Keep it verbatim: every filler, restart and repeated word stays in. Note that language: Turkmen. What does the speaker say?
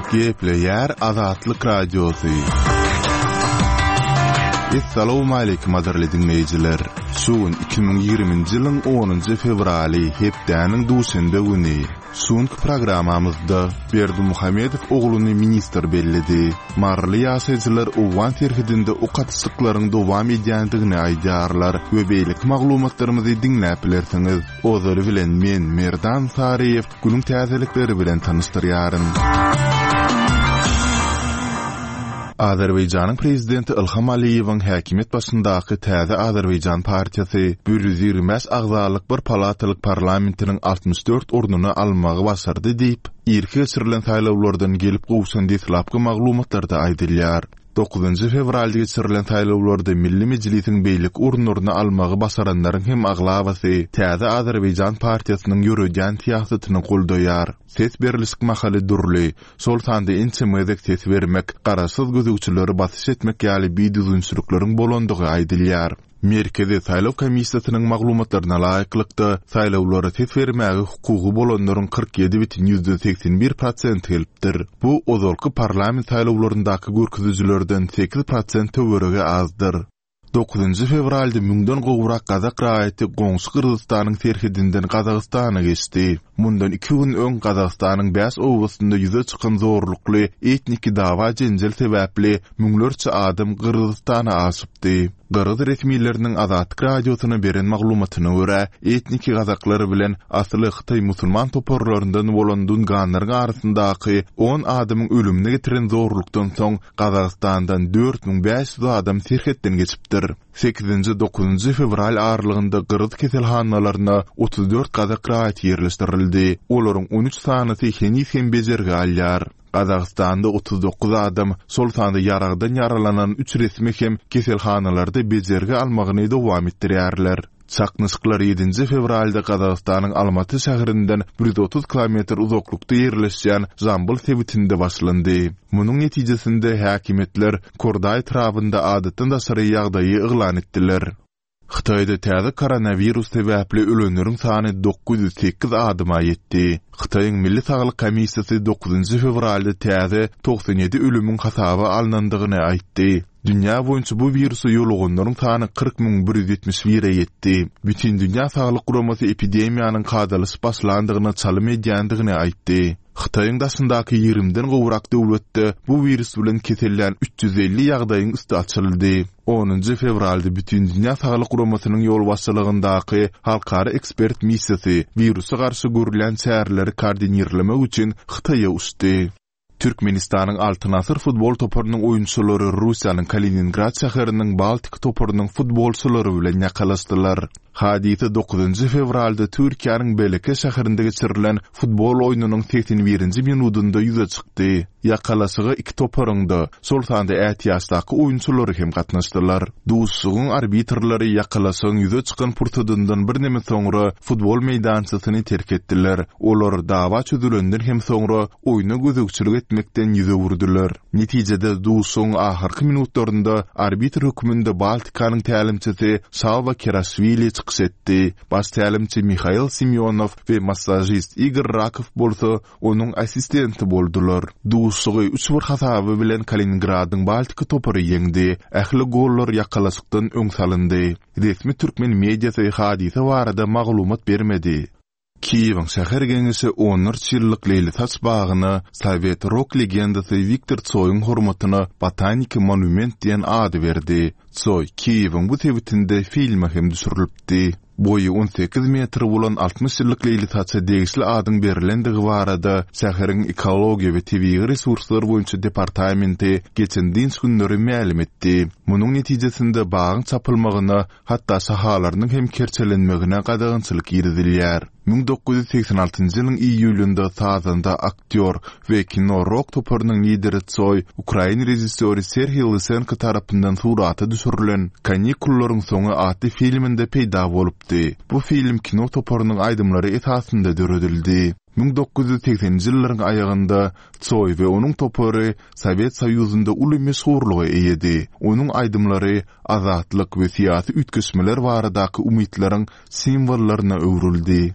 Gepleýär Azatlyk Radiosy. Essalawmaleýkim gadyrly diňleýjiler. Şu gün iki müň ýigriminji ýylyň onunjy fewraly, hepdäniň duşenbe güni. Şu günki programmamyzda Berdimuhamedow ogluny ministr belledi. Maryly ýaşaýjylar owgan serhedinde ok atyşyklaryň dowam edýändigini aýdýarlar we beýleki maglumatlarymyzy diňläp bilersiňiz. Ozaly bilen men, Merdan Saryýew, günüň täzelikleri bilen tanyşdyrýaryn. Azerbaýjanyň prezidenti Ilham Aliýewiň häkimiýet başyndaky Täze Azerbaýjan partiýasy bir ýüz ýigrimi bäş agzalyk bir palatalyk parlamentiniň altmyş dört ornuny almagy başardy diýip, irki geçirilen saýlawlardan gelip gowşan deslapky maglumatlarda aýdylýar. Dokuzynjy fewralda geçirilen saýlawlarda Milli Mejlisiň beýleki orunlaryny almagy başaranlaryň hem aglabasy Täze Azerbaýjan partiýasynyň ýöredýän syýasatyny goldaýar. Ses berlişik mahaly dürli, şol sanda ençeme gezek ses bermek, garaşsyz gözegçileri basyş etmek ýaly bidüzgünçilikleriň bolandygy aýdylýar. Merkezi saýlaw komissiýasynyň maglumatlaryna laýyklykda, saýlawlara ses bermäge hukugy bolanlaryň kyrk ýedi bütin ýüzden segsen bir prosenti gelipdir. Bu ozalky parlament saýlawlaryndaky görkezijilerden sekiz prosent töweregi azdyr. Dokuzynjy fewralda müňden gowrak gazak raýaty goňşy Gyrgyzystanyň serhedinden Gazagystana geçdi. Mundan iki gün öň Gazagystanyň bäş obasynda ýüze çykan zorlukly etniki dawa-jenjel sebäpli müňlerçe adam Gyrgyzystana aşypdy. Gyrgyz resmileriniň Azatlyk Radiosyna beren maglumatyna görä, etniki gazaklar bilen asyly hytaý musulman toparlaryndan bolan dunganlaryň arasyndaky on adamyň ölümine getiren zorlukdan soň Gazagystandan dört müň bäş ýüz adam serhetden geçipdir. Sekizinji, dokuzynjy fewral aralygynda gyrgyz keselhanalaryna otuz dört gazak raýaty ýerleşdirildi. Olaryň on üç sanysy heniz hem bejergi alýar. Gazagystanda otuz dokuz adam, şol sanda ýaragdan ýaralanan üç resmi hem keselhanalarda bejergi almagyny dowam etdirýärler. Çaknyşyklar ýedinji fewralda Gazagystanyň Almaty şäherinden bir ýüz otuz kilometr uzaklykda ýerleşýän Jambyl sebitinde başlandy. Munuň netijesinde häkimiýetler Kordaý etrabynda adatdan daşary ýagdaýy yglan etdiler. Hytaýda täze koronawirus sebäpli ölenleriň sany dokuz ýüz sekiz adama ýetdi. Hytaýyň Milli Saglyk Komissiýasy dokuzynjy fewralda täze togsan ýedi ölümiň hasaba alnandygyny aýtdy. Dünýä boýunça bu wirusa ýoluganlaryň sany kyrk müň bir ýüz ýetmiş bire ýetdi. Bütindünýä Saglyk Guramasy epidemiýanyň kadalaşyp başlandygyna çalym edýändigini aýtdy. Hytaýyň daşyndaky ýigrimiden gowrak döwletde bu wirus bilen kesellän üç ýüz elli ýagdaýyň üsti açyldy. Onunjy fewralda Bütindünýä Saglyk Guramasynyň ýolbaşçylygyndaky halkara ekspert missiýasy wirusa garşy görülýän çäreleri koordinirlemek üçin Hytaýa uçdy. Türkmenistanyň Altyn Asyr futbol toparynyň oýunçylary Russiýanyň Kaliningrad şäheriniň Baltik toparynyň futbolçylary bilen ýakalaşdylar. Hadysa dokuzynjy fewralda Türkiýäniň Beleke şäherinde geçirilen futbol oýnunyň segsen birinji minudynda ýüze çykdy. Ýakalaşyga iki toparyň-da, şol sanda ätiýaçdaky oýunçylary hem gatnaşdylar. Duşuşygyň arbitrleri ýakalaşygyň ýüze çykan pursadyndan birneme soňra futbol meýdançasyny terk etdiler. Olar dawa çözülenden hem soňra oýna gözegçilik etmekden ýüz öwürdiler. Netijede duşuşygyň ahyrky minutlarynda arbitr hökmünde Baltikanyň tälimçisi Şalwa Keraşwili çykyş etdi. Baş tälimçi Mihail Simýonow we massažist Igor Rakow bolsa onuň assistenti boldular. Duşuşygy üç bir hasaby bilen Kaliningradyň Baltika topary ýeňdi. Ähli gollar ýakalaşykdan öň salyndy. Resmi türkmen mediasy hadysa barada maglumat bermedi. Kiýewiň şäher geňeşi onlarça ýyllyk leýlisaç bagyna sowet rok legendasy Wiktor Tsoýuň hormatyna Botaniki monument diýen ady berdi. Tsoý Kiýewiň bu sebitinde filme hem düşürilipdi. Boýy on sekiz metr bolan altmyş ýyllyk leýlisaça degişli adyň berlendigi barada şäheriň ekologiýa we tebigy resurslar boýunça departamenti geçen dynç günleri mälim etdi. Munuň netijesinde bagyň çapylmagyna, hatda şahalarynyň hem kerçelenmegine gadagançylyk girizilýär. Müň dokuz ýüz segsen altynjy ýylyň iýulynda sazanda, aktýor we kino-rok toparynyň lideri Tsoý ukrain režissýory Serhiý Lysenko tarapyndan surata düşürilen Kanikullaryň soňy atly filminde peýda bolupdy. Bu film kino toparynyň aýdymlary esasynda döredildi. Müň dokuz ýüz segseninji ýyllaryň aýagynda Tsoý we onuň topary Sowet Soýuzynda uly meşhurlyga eýedi. Onuň aýdymlary azatlyk we syýasy üýtgeşmeler baradaky umytlaryň simwollaryna öwrüldi.